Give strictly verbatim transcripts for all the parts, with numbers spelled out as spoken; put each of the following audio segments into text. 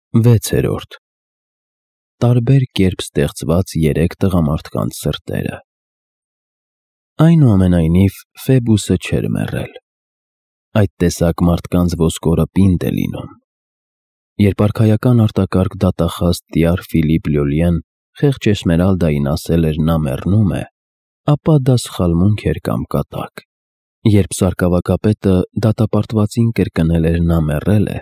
Վեցերորդ Տարբեր կերպ ստեղծված երեք տղամարդկանց սրտերը։ Այնուամենայնիվ, Ֆեբուսը չէր մեռել։ Այդ տեսակ մարդկանց ոսկորը պինդ է լինում։ Երբ արքայական արտակարգ դատախազ տյար Ֆիլիպ Լյոլիեն խեղճ Էսմերալդային ասել էր նա մեռնում է, ապա դա սխալմունք էր կամ կատակ։ Երբ սարկավագապետը դատապարտվածին կրկնել էր նա մեռել է,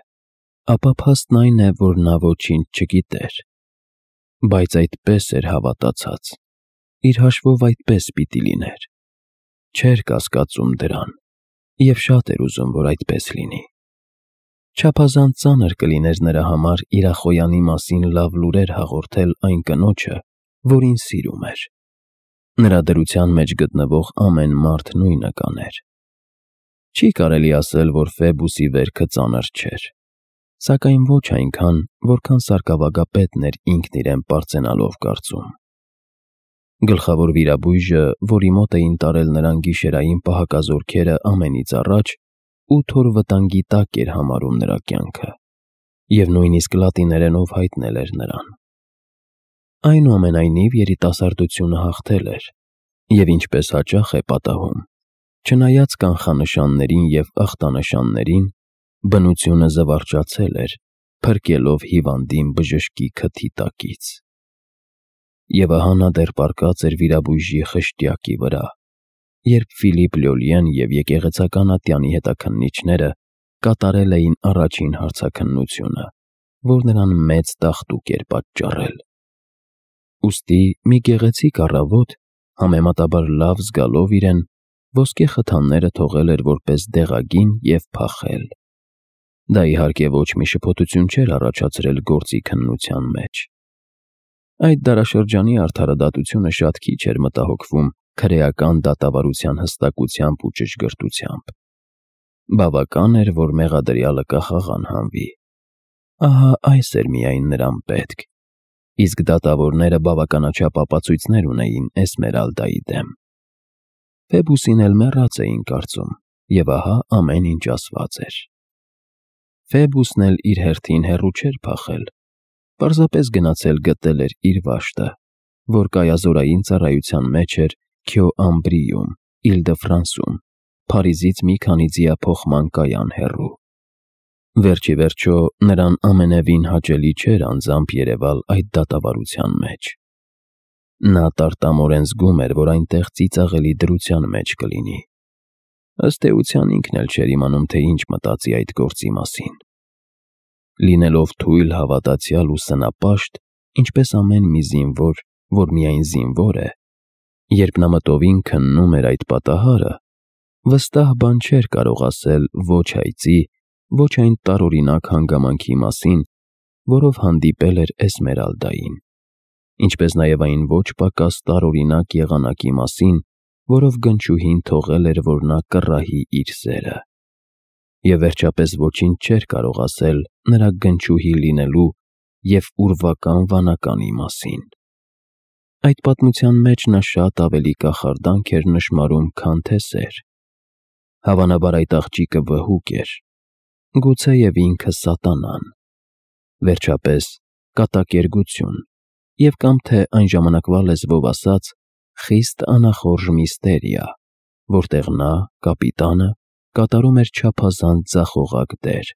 ապա փաստն այն է, որ նա ոչինչ չգիտեր։ Բայց այդպես էր հավատացած։ Իր հաշվով այդպես պիտի լիներ։ Չէր կասկածում դրան, և շատ էր ուզում, որ այդպես լինի։ Չափազանց ծանր կլիներ նրա համար Իրախոյանի մասին լավ լուրեր հաղորդել այն կնոջը, որին սիրում էր։ Նրա դրության մեջ գտնվող ամեն մարդ նույնը կաներ։ Չի կարելի ասել, որ Ֆեբուսի վերքը ծանր չէր, սակայն ոչ այնքան, որքան սարկավագապետն էր ինքն իրեն պարծենալով կարծում։ Գլխավոր վիրաբույժը, որի մոտ էին տարել նրան գիշերային պահակազորքերը ամենից առաջ, ութ օր վտանգի տակ էր համարում նրա կյանքը, և նույնիսկ լատիներենով հայտնել էր նրան։ Այնուամենայնիվ երիտասարդությունը հաղթել էր, և ինչպես հաճախ է պատահում, չնայած կանխանշաններին և ախտանշաններին, բնությունը զվարճացել էր, փրկելով հիվանդին բժշկի քթի տակից։ Եվ ահա նա դեռ պառկած էր վիրաբույժի խշտյակի վրա, երբ Ֆիլիպ Լյոլիեն և եկեղեցական ատյանի հետաքննիչները կատարել էին առաջին հարցաքննությունը, որ նրան մեծ տաղտուկ էր պատճառել։ Ուստի մի գեղեցիկ առավոտ, համեմատաբար լավ զգալով իրեն, ոսկե խթանները թողել էր որպես դեղագին և փախել։ Դա իհարկե ոչ մի շփոթություն չէր առաջացրել գործի քննության մեջ։ Այդ դարաշրջանի արդարադատությունը շատ քիչ էր մտահոգվում քրեական դատավարության հստակությամբ ու ճշգրտությամբ։ Բավական էր, որ մեղադրյալը կախաղան հանվի։ Ահա այս էր միայն նրան պետք, իսկ դատավորները բավականաչափ ապացույցներ ունեին Էսմերալդայի դեմ։ Ֆեբուսին էլ մեռած էին կարծում, և ահա ամեն ինչ ասված էր։ Ֆեբուսն էլ իր հերթին հեռու չէր փախել, պարզապես գնացել գտել էր իր վաշտը, որ կայազորային ծառայության մեջ էր Քյոամբրիում, Իլ-դը-Ֆրանսում, Փարիզից մի քանի ձիափոխման կայան հեռու։ Վերջիվերջո, նրան ամենևին հաճելի չէր անձամբ երևալ այդ դատավարության մեջ։ Նա տարտամորեն զգում էր, որ այնտեղ ծիծաղելի դրության մեջ կլինի։ Ըստ էության ինքն էլ չէր իմանում, թե ինչ մտածի այդ գործի մասին։ Լինելով թույլ, հավատացյալ ու սնապաշտ, ինչպես ամեն մի զինվոր, որ միայն զինվոր է, երբ նա մտովին քննում էր այդ պատահարը, վստահ բան չէր կարող ասել ոչ այծի, ոչ այն տարօրինակ հանգամանքի մասին, որով հանդիպել էր Էսմերալդային, ինչպես նաև այն ոչ պակաս տարօրինակ եղանակի մասին, որով գնչուհին թողել էր, որ նա կռահի իր սերը։ Եվ վերջապես ոչինչ չէր կարող ասել նրա գնչուհի լինելու և ուրվական վանականի մասին։ Այդ պատմության մեջ նա շատ ավելի կախարդանք էր նշմարում, քան թե սեր։ Հավանաբար այդ աղջիկը վհուկ էր, գուցեև ինքը սատանան, վերջապես կատակերգություն, և կամ թե այն ժամանակվա լեզվով ասած, խիստ անախորժ միստերիա, որտեղ նա, կապիտանը, կատարում էր չափազանց ձախողակ դեր,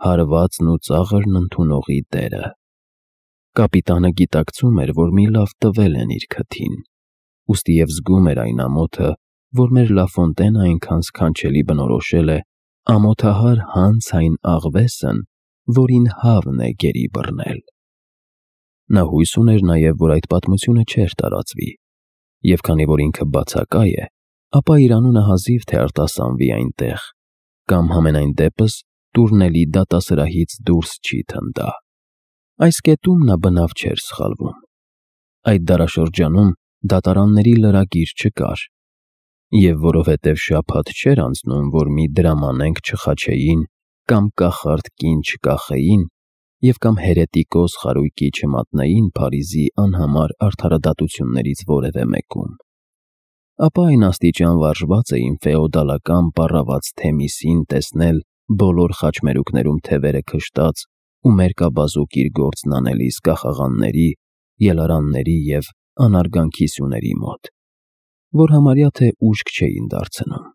հարվածն ու ծաղրն ընդունողի դերը։ Կապիտանը գիտակցում էր, որ մի լավ տվել են իր քթին, ուստի և զգում էր այն ամոթը, որ մեր Լաֆոնտենը այնքան սքանչելի բնորոշել է ամոթահար հանց այն աղվեսն, որին հավն է գերի բռնել։ Նա հույս ուներ նաև, որ այդ պատմությունը չէր տարածվի, և քանի որ ինքը բացակա է, ապա իր անունը հազիվ թե արտասանվի այնտեղ, կամ համենայն դեպս տուրնելի դատասրահից դուրս չի թնդա։ Այս կետում նա բնավ չէր սխալվում։ Այդ դարաշրջանում դատարանների լրագիր չկար, և որովհետև շաբաթ չէր անցնում, որ մի դրամանենք չխաչեին, կամ կախարդ կին չկախեին, և կամ հերետիկոս խարույկի չմատնեին Փարիզի անհամար արդարադատություններից որևէ մեկում, ապա այն աստիճան վարժված էին ֆեոդալական պառավաց Թեմիսին տեսնել բոլոր խաչմերուկներում թևերը քշտած ու մերկաբազուկ իր գործն անելիս կախաղանների, ելարանների և անարգանքի սյուների մոտ, որ համարյա թե ուշք չէին դարձնում։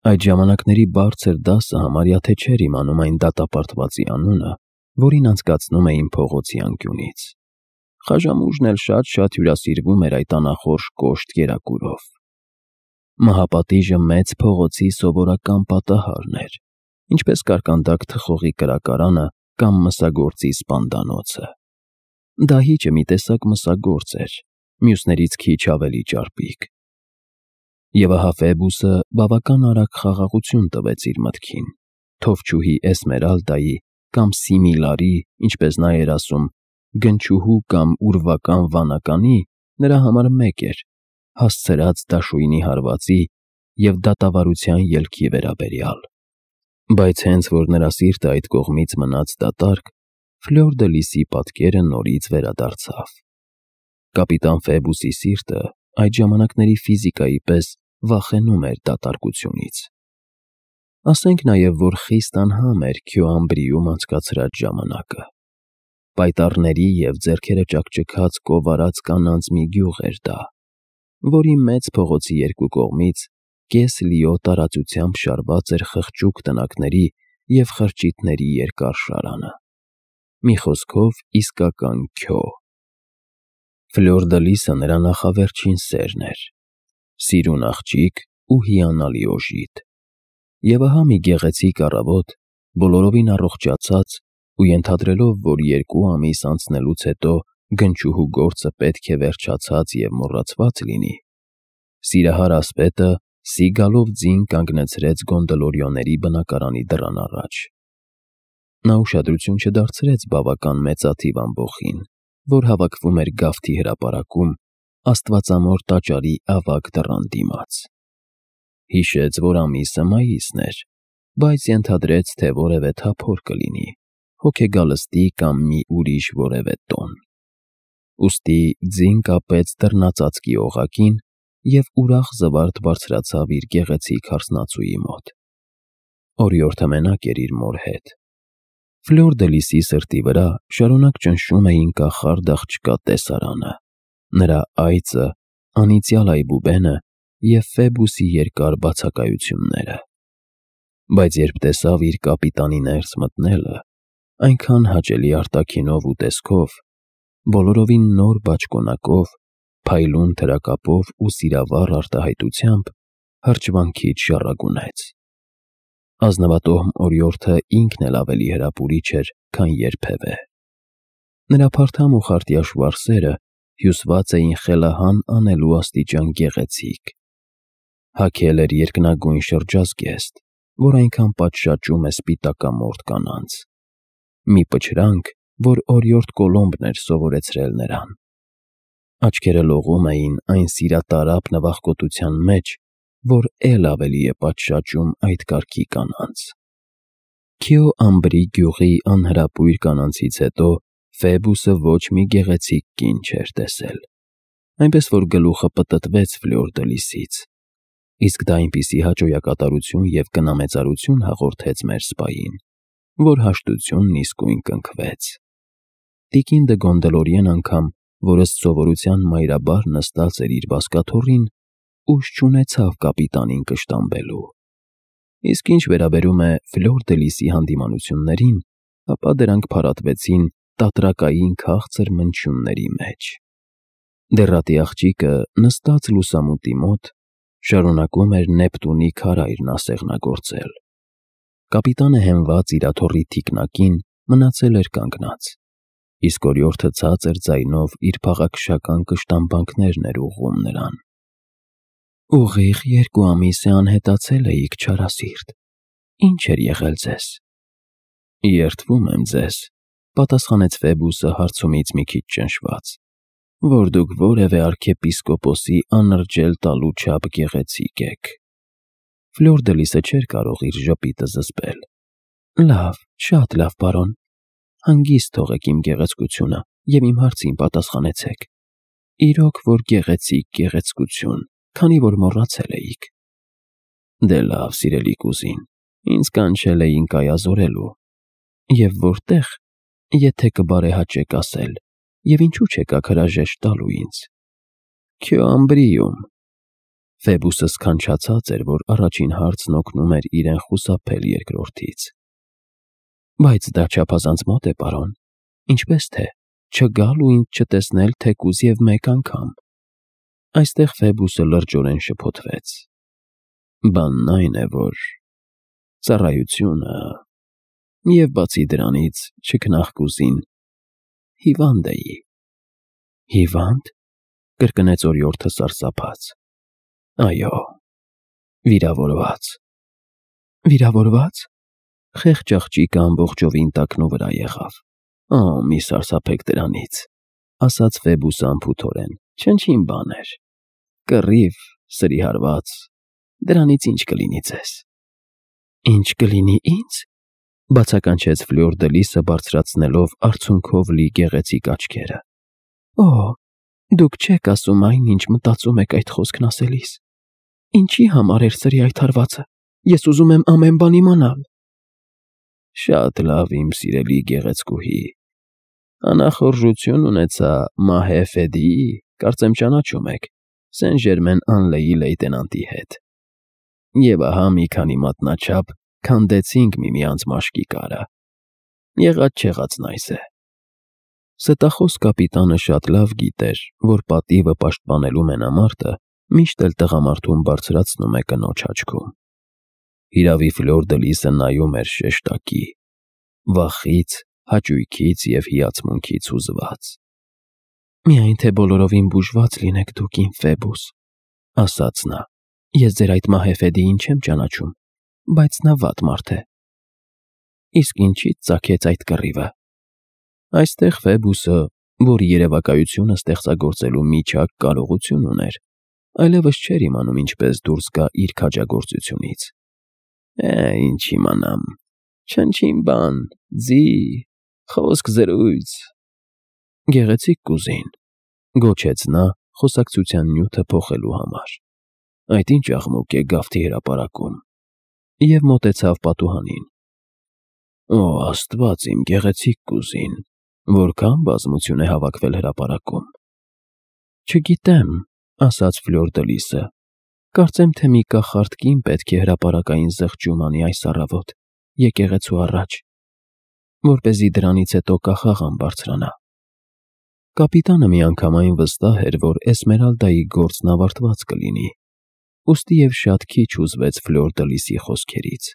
Այդ ժամանակների բարձր դասը համարյա թե չէր իմանում այն դատապարտվածի անունը, որին անցկացնում էին փողոցի անկյունից։ Խաժամուժն էլ շատ-շատ հյուրասիրվում էր այդ անախորժ կոշտ կերակուրով։ Մահապատիժը մեծ փողոցի սովորական պատահարն էր, ինչպես կարկանդակ թխողի կրակարանը կամ մսագործի սպանդանոցը։ Դահիճը մի տեսակ մսագործ էր, մյուսներից քիչ ավելի ճարպիկ։ Եվ ահա Ֆեբուսը բավական արագ խաղաղություն տվեց իր մտքին։ Թովչուհի Էսմերալդայի կամ Սիմիլարի, ինչպես նա էր ասում, գնչուհու կամ ուրվական վանականի նրա համար մեկ էր, հասցրած դաշույնի հարվածի և դատավարության ելքի վերաբերյալ։ Բայց հենց որ նրա սիրտը այդ կողմից մնաց դատարկ, Ֆլյուր դը Լիսի պատկերը նորից վերադարձավ։ Կապիտան Ֆեբուսի սիրտը այդ ժամանակների ֆիզիկայի պես վախենում էր դատարկությունից։ Ասենք նաև, որ խիստ անհամ էր Քյոամբրիում անցկացրած ժամանակը։ Պայտառների և ձեռքերը ճաքճքած կովարած կանանց մի գյուղ էր դա, որի մեծ փողոցի երկու կողմից կես լիո տարածությամբ շարված էր խղճուկ տնակների և խրճիթների երկար շարանը։ Մի խոսքով իսկական Քյո։ Ֆլյուր դը Լիսը նրա նախավերջին սերն էր, սիրուն աղջիկ ու հիանալի օժիտ։ Եվ ահա մի գեղեցիկ առավոտ, բոլորովին առողջացած ու ենթադրելով, որ երկու ամիս անցնելուց հետո գնչուհու գործը պետք է վերջացած և մոռացված լինի, սիրահար ասպետը Սիգալով ձին կանգնեցրեց գոնդոլորիոների բնակարանի դռան առաջ։ Նա ուշադրություն չդարձրեց բավական մեծաթիվ ամբոխին, որ հավաքվում էր գավթի հրապարակում Աստվածամոր տաճարի ավագ դռան դիմաց։ Հիշեց, որ ամիսը մայիսն էր, բայց ենթադրեց, թե որևէ թափոր կլինի, հոգեգալստի կամ մի ուրիշ որևէ տոն։ Ուստի ձին կապեց դռնածածկի օղակին և ուրախ զվարթ բարձրացավ իր գեղեցիկ հարսնացուի մոտ։ Օրիորդը մենակ էր իր մոր հետ։ Ֆլյուր դը Լիսի սրտի վրա շարունակ ճնշում էին կախարդ աղջկա տեսարանը, նրա այծը, անիծյալ այբուբենը և Ֆեբուսի երկար բացակայությունները։ Բայց երբ տեսավ իր կապիտանի ներս մտնելը, այնքան հաճելի արտաքինով ու տեսքով, բոլորովին նոր բաճկոնակով, փայլուն թրակապով ու սիրավառ արտահայտությամբ, հրճվանքից շառագունեց։ Ազնվատոհմ օրիորդը ինքն էլ ավելի հրապուրիչ էր, քան երբևէ։ Նրա փարթամ ու խարտյաշվար սերը հյուսված էին խելահան անելու աստիճան գեղեցիկ։ Հագել էր երկնագույն շրջազգեստ, որ այնքան պատշաճում է սպիտակամորթ կանանց։ Մի պչրանք, որ օրիորդ Կոլոմբն էր սովորեցրել նրան։ Աչքերը լողում էին այն սիրատարապ նվախկոտության մեջ, որ էլ ավելի է պատշաճում այդ կարգի կանանց։ Քյոամբրի գյուղի անհրապույր կանանցից հետո Ֆեբուսը ոչ մի գեղեցիկ կին չէր տեսել, այնպես որ գլուխը պտտվեց Ֆլյուր դը Լիսից, իսկ դա այնպիսի հաճոյակատարություն և կնամեծարություն հաղորդեց մեր սպային, որ հաշտությունն իսկույն կնքվեց։ Տիկին դը Գոնդոլորիեն անգամ, որ ըստ սովորության մայրաբար նստած էր իր բազկաթոռին, ուժ չունեցավ կապիտանին կշտամբելու։ Իսկ ինչ վերաբերում է Ֆլյուր դը Լիսի հանդիմանություններին, ապա դրանք փարատվեցին տատրակային քաղցր մնչյունների մեջ։ Դեռատի աղջիկը նստած լուսամուտի մոտ շարունակում էր Նեպտունի քարայրն ասեղնագործել։ Կապիտանը հենված իր աթոռի թիկնակին մնացել էր կանգնած, իսկ օրիորդը ցածր ձայնով իր փաղաքշական կշտամբանքներն էր ուղղում նրան։ Ուղիղ երկու ամիս է անհետացել էիք, չարասիրտ, ի՞նչ էր եղել ձեզ։ Երդվում եմ ձեզ, պատասխանեց Ֆեբուսը հարցումից մի քիչ ճնշված, որ դուք որևէ արքեպիսկոպոսի անրջել տալու չափ գեղեցիկ եք։ Ֆլյուր դը Լիսը չէր կարող իր ժպիտը զսպել։ Լավ, շատ լավ, պարոն, հանգիստ թողեք իմ գեղեցկությունը և իմ հարցին պատասխանեցեք։ Իրոք որ գեղեցիկ գեղեցկություն, քանի որ մոռացել էիք։ Դե լավ, սիրելի կուզին, ինձ կանչել էին կայազորելու։ Եվ որտեղ, եթե կբարեհաճեք ասել, և ինչու չեք հրաժեշտ տալու ինձ։ Քյո ամբրիում։ Ֆեբուսը սքանչացած էր, որ առաջին հարցն օգնում էր իրեն խուսափել երկրորդից։ Բայց դա չափազանց մոտ է, պարոն, ինչպես թե չգալ ու ինձ չտեսնել թեկուզ և մեկ անգամ։ Այստեղ Ֆեբուսը լրջորեն շփոթվեց։ Բանն այն է, որ ծառայությունը, և բացի դրանից չքնաղկուսին հիվանդ էի։ Հիվա՞նդ, կրկնեց օրիորդը սարսափած։ Այո, վիրավորված։ Վիրավորվա՞ծ։ Խեղճ աղջիկը ամբողջովին տակնու վրա եղավ։ Օ, մի սարսափեք դրանից, ասաց Ֆեբուսը անփութորեն, չնչին բան էր։ Կռիվ, սրի հարված, դրանից ինչ կլինի ձեզ։ Ինչ կլինի ինձ, բացականչեց Ֆլյուր դը Լիսը բարձրացնելով արցունքով լի գեղեցիկ աչքերը։ Օ, դուք չեք ասում այն, ինչ մտածում եք այդ խոսքն ասելիս։ Ինչի համար էր սրի այդ հարվածը, ես ուզում եմ ամեն բան իմանալ։ Շատ լավ, իմ սիրելի գեղեցկուհի, անախորժություն ունեցա Մահե Ֆեդիի, կարծեմ ճանաչում եք, Սեն Ժերմեն Անլեի լեյտենանտի հետ։ Եվ ահա մի քանի մատնաչափ քանդեցինք միմյանց մաշկի կարը։ Եղած-չեղածն այս է։ Ստախոս կապիտանը շատ լավ գիտեր, որ պատիվը պաշտպանելու մենամարտը միշտ էլ տղամարդուն բարձրացնում է կնոջ աչքում։ Հիրավի Ֆլյուր դը Լիսը նայում էր շեշտակի, վախից, հաճույքից և հիացմունքից հուզված։ Միայն թե բոլորովին բուժված լինեք դուք, իմ Ֆեբուս, ասաց նա, ես ձեր այդ Մահե Ֆեդիին չեմ ճանաչում, բայց նա վատ մարդ է։ Իսկ ինչի՞ց ծագեց այդ կռիվը։ Այստեղ Ֆեբուսը, որ երևակայությունը ստեղծագործելու միջակ կարողություն ուներ, այլևս չէր իմանում ինչպես դուրս գա իր քաջագործությունից։ Է, ինչ իմանամ, չնչին բան, ձի, խոսք զրույց։ Գեղեցիկ կուզին, գոչեց նա խոսակցության նյութը փոխելու համար։ Այդ ինչ աղմուկ է գավթի հրապարակում։ Եվ մոտեցավ պատուհանին։ Օ, Աստված իմ գեղեցիկ կուզին, որքան բազմություն է հավաքվել հրապարակում։ Չգիտեմ, ասաց Ֆլյուր դը Լիսը, կարծեմ թե մի կախարդ կին պետք է հրապարակային զղջում անի այս առավոտ, եկեղեցու առաջ, որպեսզի դրանից հետո կախաղան բարձրանա։ Կապիտանը միանգամայն վստահ էր, որ Էսմերալդայի գործն ավարտված կլինի, ուստի և շատ քիչ հուզվեց Ֆլյուր դը Լիսի խոսքերից։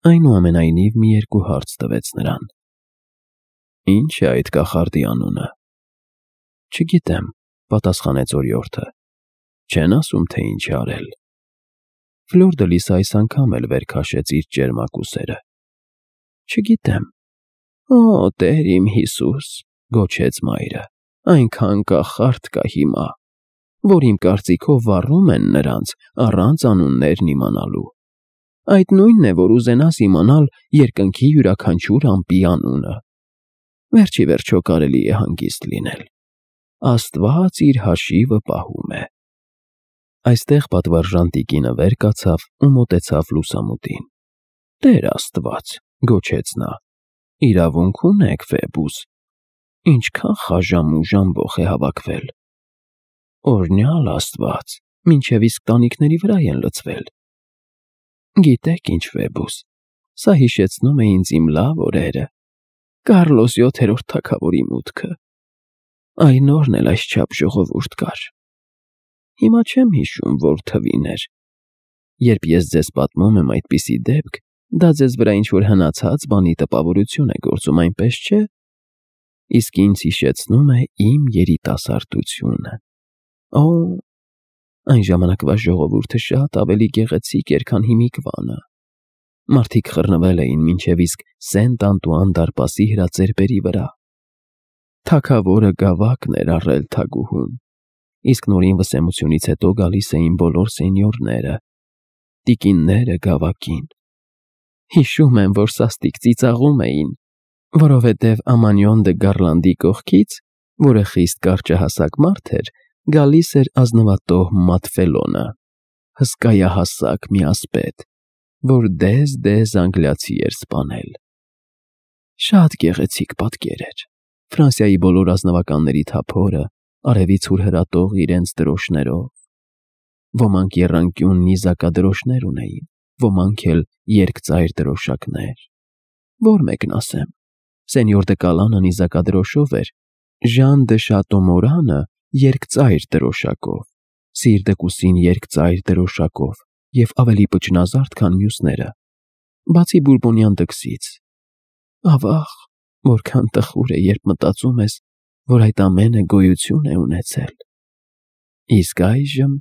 Այնուամենայնիվ մի երկու հարց տվեց նրան։ Ինչ է այդ կախարդի անունը։ Չգիտեմ, պատասխանեց օրիորդը։ Չեն ասում, թե ինչ է արել։ Ֆլյուր դը Լիսը այս անգամ էլ վեր քաշեց իր ճերմակ ուսերը։ Չգիտեմ։ Օ, Տեր իմ Հիսուս, գոչեց մայրը, այնքան կախարդ կա հիմա, որ իմ կարծիքով վառում են նրանց առանց անուններն իմանալու։ Այդ նույնն է, որ ուզենաս իմանալ երկնքի յուրաքանչյուր ամպի անունը։ Վերջի վերջո կարելի է հանգիստ լինել։ Աստված իր հաշիվը պահում է։ Այստեղ պատվարժան տիկինը վեր կացավ ու մոտեցավ լուսամուտին։ Տեր Աստված, գոչեց նա, իրավունք ունեք, Ֆեբուս, ինչքան խաժամ ու ժամբոխ է հավաքվել։ Օրհնյալ Աստված, մինչև իսկ տանիքների վրա են լցվել։ Գիտեք ինչ, Ֆեբուս, սա հիշեցնում է ինձ իմ լավ օրերը, Կարլոս յոթերորդ թագավորի մուտքը։ Այն օրն էլ այսչափ ժողովուրդ կար։ Հիմա չեմ հիշում, որ թվին էր։ Երբ ես ձեզ պատմում եմ այդպիսի դեպք, դա ձեզ վրա ինչ-որ հնացած բանի տպավորություն է գործում, այնպես չէ։ Իսկ ինձ հիշեցնում է իմ երիտասարդությունը։ Օ, այն ժամանակվա ժողովուրդը շատ ավելի գեղեցիկ էր, քան հիմիկվանը։ Մարդիկ խռնվել էին մինչև իսկ Սենտ Անտուան դարպասի հրածերբերի վրա։ Թագավորը գավակն էր առել թագուհուն, իսկ նորին վսեմությունից հետո գալիս էին բոլոր սենյորները, տիկինները գավակին։ Հիշում եմ, որ սաստիկ ծիծաղում էին, որովհետև Ամանյոն դը Գառլանդի կողքից, որը խիստ կարճահասակ մարդ էր, գալիս էր ազնվատոհ Մատֆելոնը, հսկայահասակ մի ասպետ, որ դեզ-դեզ անգլիացի էր սպանել։ Շատ գեղեցիկ պատկեր էր։ Ֆրանսիայի բոլոր ազնվականների թափորը, արևից հուրհրատող իրենց դրոշներով։ Ոմանք եռանկյուն նիզակադրոշներ ունեին, ոմանք էլ երկծայր դրոշակներ։ Որ մեկն ասեմ, սենյոր դե Կալանը նիզակադրոշով էր, Ժան դե Շատոմորանը երկծայր դրոշակով, Սիր դե Կուսին երկծայր դրոշակով և ավելի պճնազարդ, քան մյուսները, բացի բուրբոնյան դքսից։ Ավաղ, որքան տխուր է, երբ մտածում ես, որ այդ ամենը գոյություն է ունեցել։ Իսկ այժմ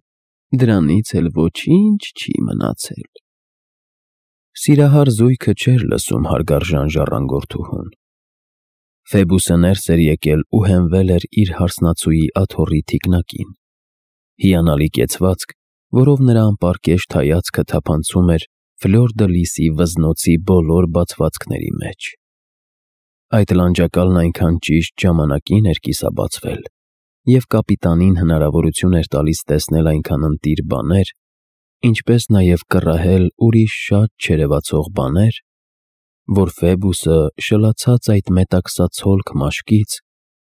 դրանից էլ ոչինչ չի մնացել։ Սիրահար զույգը չէր լսում հարգարժան ժառանգորդուհուն։ Ֆեբուսը ներս էր եկել ու հենվել էր իր հարսնացուի աթոռի թիկնակին։ Հիանալի կեցվածք, որով նրա անպարկեշտ հայացքը թափանցում էր Ֆլոր դը Լիսի վզնոցի բոլոր բացվածքների մեջ։ Այդ լանջակալն այնքան ճիշտ ժամանակին էր կիսաբացվել, և կապիտանին հնարավորություն էր տալիս տեսնել այնքան ընտիր բաներ, ինչպես նաև կռահել ուրիշ շատ չերևացող բաներ, որ Ֆեբուսը շլացած այդ մետաքսացոլք մաշկից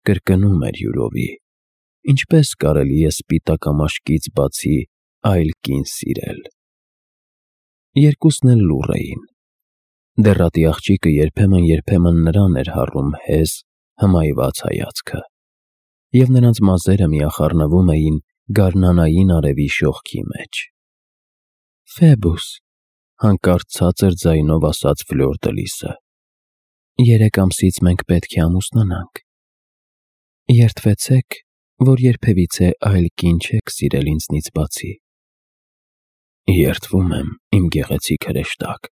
կրկնում էր յուրովի, ինչպես կարելի է սպիտակամաշկից բացի այլ կին սիրել։ Երկուսն էլ լուռ էին։ Դեռատի աղջիկը երբեմն-երբեմն նրան էր հառում հեզ, հմայված հայացքը, և նրանց մազերը միախառնվում էին գարնանային արևի շողքի մեջ։ Ֆեբուս, հանկարծ ցածր ձայնով ասաց Ֆլոր դը Լիսը, երեք ամսից մենք պետք է ամուսնանանք։ Երդվեցեք, որ երբևիցե այլ կին չեք սիրել ինձնից բացի։ Երդվում եմ, իմ գեղեցիկ հրեշտակ,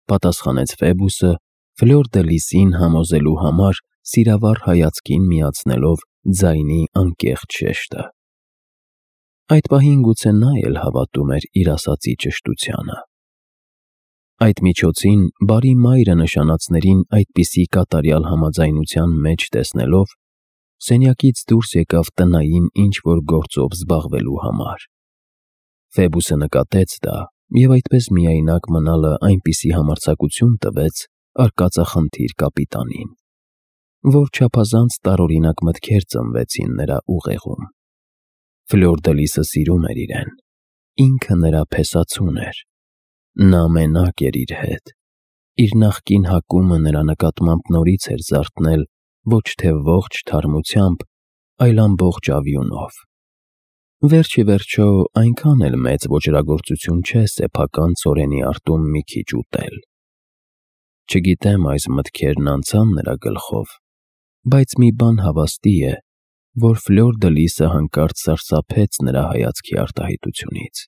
պատասխանեց Ֆեբուսը, Ֆլոր դը Լիսին համոզելու համար սիրավառ հայացքին միացնելով ձայնի անկեղծ շեշտը։ Այդ պահին գուցե նա էլ հավատում էր իր ասածի ճշտությանը։ Այդ միջոցին բարի մայրը նշանածներին այդպիսի կատարյալ համաձայնության մեջ տեսնելով, սենյակից դուրս եկավ տնային ինչ-որ գործով զբաղվելու համար։ Ֆեբուսը նկատեց դա և այդպես միայնակ մնալը այնպիսի համարձակություն տվեց արկածախնդիր կապիտանին, որ չափազանց տարօրինակ մտքեր ծնվեցին նրա ուղեղում։ Ֆլոր դը Լիսը սիրում էր իրեն, ինքը նրա փեսացուն էր, նա մենակ էր իր հետ, իր նախկին հակումը նրա նկատմամբ նորից էր զարթնել ոչ թե ողջ թարմությամբ, այլ ամբողջ ավյունով։ Վերջ-ի-վերջո այնքան էլ մեծ ոճրագործություն չէ սեփական ծորենի արտում մի քիչ ուտել։ Չգիտեմ այս մտքերն անցան նրա գլխով, բայց մի բան հավաստի է, որ Ֆլոր դը Լիսը հանկարծ սարսափեց նրա հայացքի արտահայտությունից։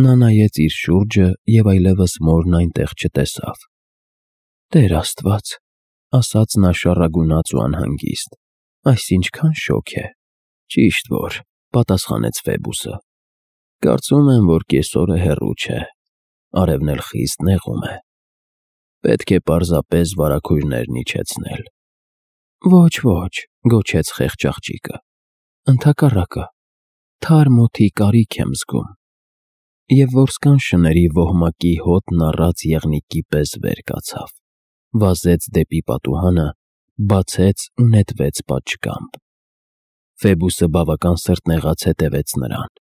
Նա նայեց իր շուրջը և այլևս մորն այնտեղ չտեսավ։ Տեր Աստված, ասաց նա շառագունաց ու անհանգիստ, այս ինչքան շոգ է։ Ճիշտ որ, պատասխանեց Ֆեբուսը, կարծում եմ, որ կեսօրը հեռու չէ, արևն էլ խիստ նեղում է։ Պետք է պարզապես վարագույրներն իջեցնել։ Ոչ, ոչ, գոչեց խեղճ աղջիկը, ընդհակառակը, թարմ օդի կարիք եմ զգում։ Եվ որսկան շների ոհմակի հոտն առած եղնիկի պես վեր կացավ, վազեց դեպի պատուհանը, բացեց ու նետվեց պատշգամբ։ Ֆեբուսը բավական սրտնեղած հետևեց նրան։